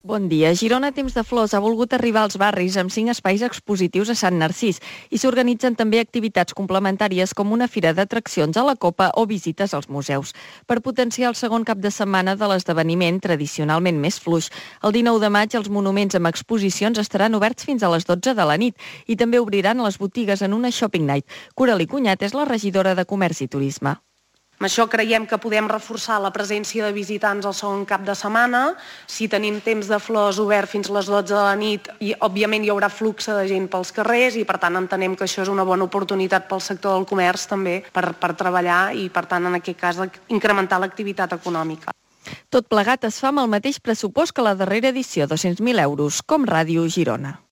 Bon dia. Girona Temps de Flors ha volgut arribar als barris amb 5 espais expositius a Sant Narcís i s'organitzen també activitats complementàries com una fira d'atraccions a la Copa o visites als museus. Per potenciar el segon cap de setmana de l'esdeveniment, tradicionalment més fluix, el 19 de maig els monuments amb exposicions estaran oberts fins a les 12 de la nit i també obriran les botigues en una shopping night. Coralí Cunyat és la regidora de Comerç i Turisme. Amb això creiem que podem reforçar la presència de visitants al segon cap de setmana. Si tenim Temps de Flors obert fins a les 12 de la nit, i òbviament hi haurà flux de gent pels carrers i per tant entenem que això és una bona oportunitat pel sector del comerç també per treballar i per tant en aquest cas incrementar l'activitat econòmica. Tot plegat es fa amb el mateix pressupost que la darrera edició, 200.000 euros, com Ràdio Girona.